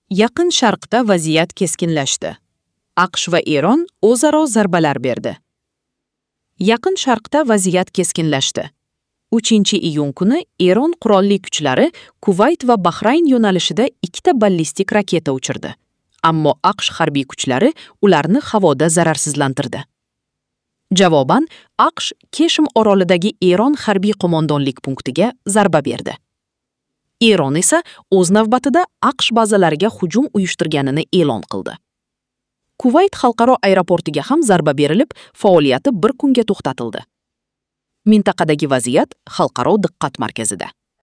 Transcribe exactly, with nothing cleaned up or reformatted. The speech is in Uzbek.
Yaqin Sharqda vaziyat keskinlashdi. AQSh va Eron o'zaro zarbalar berdi. Yaqin Sharqda vaziyat keskinlashdi. uchinchi iyun kuni Eron qurolli kuchlari Kuvayt va Bahrayn yo'nalishida ikkita ballistik raketa uchirdi. Ammo AQSh harbiy kuchlari ularni havoda zararsizlantirdi. Javoban AQSh Keshm orolidagi Eron harbiy qo'mondonlik punktiga zarba berdi. Eron esa o'z navbatida AQSh bazalariga hujum uyushtirganini e'lon qildi. Kuvayt xalqaro aeroportiga ham zarba berilib, faoliyati bir kunga to'xtatildi. Mintaqadagi vaziyat xalqaro diqqat markazida.